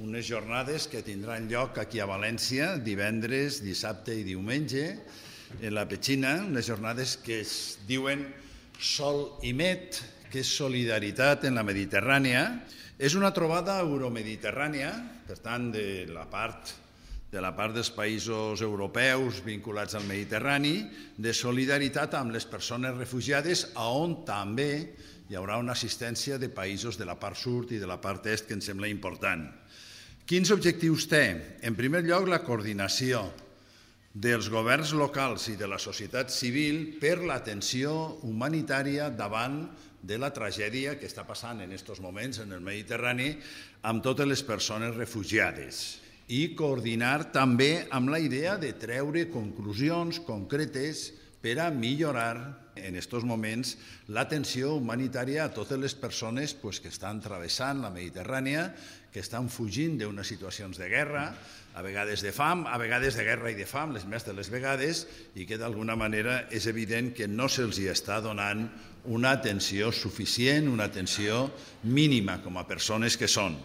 unes jornades que tindran lloc aquí a València divendres, dissabte i diumenge en la Petxina, unes jornades que es diuen Sol i Med, que és solidaritat en la Mediterrània. És una trobada euromediterrània, per tant, de la part dels països europeus vinculats al Mediterrani, de solidaritat amb les persones refugiades, on també hi haurà una assistència de països de la part sud i de la part est, que ens sembla important. Quins objectius té? En primer lloc, la coordinació dels governs locals i de la societat civil per l'atenció humanitària davant de la tragèdia que està passant en aquests moments en el Mediterrani amb totes les persones refugiades, i coordinar també amb la idea de treure conclusions concretes per a millorar en aquests moments l'atenció humanitària a totes les persones que estan travessant la Mediterrània, que estan fugint d'unes situacions de guerra, a vegades de fam, a vegades de guerra i de fam, les més de les vegades, i que d'alguna manera és evident que no se'ls està donant una atenció suficient, una atenció mínima com a persones que són.